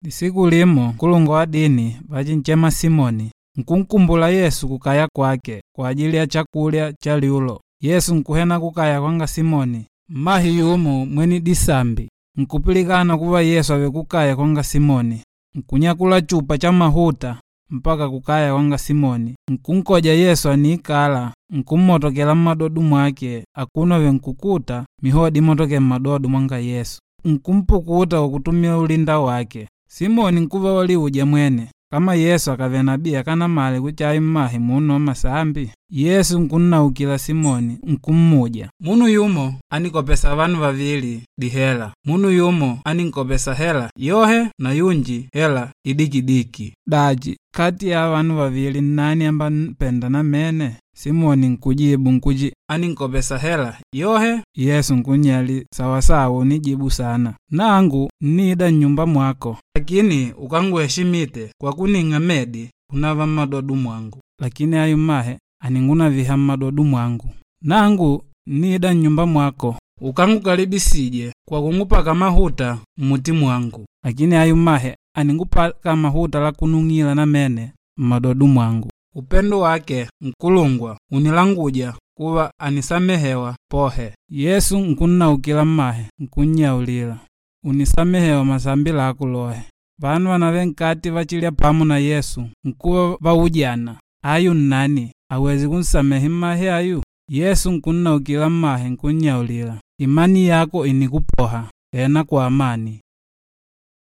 Lisiku limo nkulungwa wa dini vachinchema Simoni, nkunkumbula Yesu kukaya kwake kwa ajili ya chakulya cha lyulo. Yesu nkuhwena kukaya kwanga Simoni. Mmahe yumo mwene disambi, nkupilikana kuva Yesu àvele kukaya kwanga Simoni. Nkunyakula chupa cha mahuta mpaka kukaya kwanga Simoni, nkunkoja Yesu àniikala, nkummotokela mmadodo mwake akuno avèlè nkukuta mihodi imotokêle mmadodo mwanga Yesu. Nkumpukuta kwa kutumila ulinda wake. Simoni nkuva waliuja mwene, kama Yesu akàvele nabii akanamale kuchi ayu mmahe munu wa masambi. Yesu nkunnaukila Simoni nkummuja, munu yumo ánikopesa vanu vavili dihela. Munu yumo áninkopesa hela yohe na yunji hela idikidiki. Dachi, kati ya ava vanu vavili nnani ambanpenda namene? Simoni nkujibu nkuti, áninkopesa hela yohe. Yesu nkunnyalila, sawasawa unijibu saana. Nangu nnida nnyumba mwako, lakini ukánguheshimite kwa kuning'a medi kunava mmadodo mwangu. Lakini ayu mmahe àningunaviha mmadodo mwangu. Nangu nnida nnyumba mwako, ukángukalibisije kwa kungupaka mahuta mmuti mwangu. Lakini ayu mmahe àningupaka mahuta la kunung'ila namene mmadodo mwangu. Upendo wake nkulungwa ùnilanguja kuva ànisamehewa pohe. Yesu nkunnaukila mmahe nkunnyaulila, unisamehewa masambi lako lohe. Vanu vanavele nkati vachilya pamo na Yesu nkuva vaujana, ayu nnani awêze kunsamehe mmahe ayu? Yesu nkunnaukila mmahe nkunnyaulila, imani yako ìnikupoha, hwena kwa amani.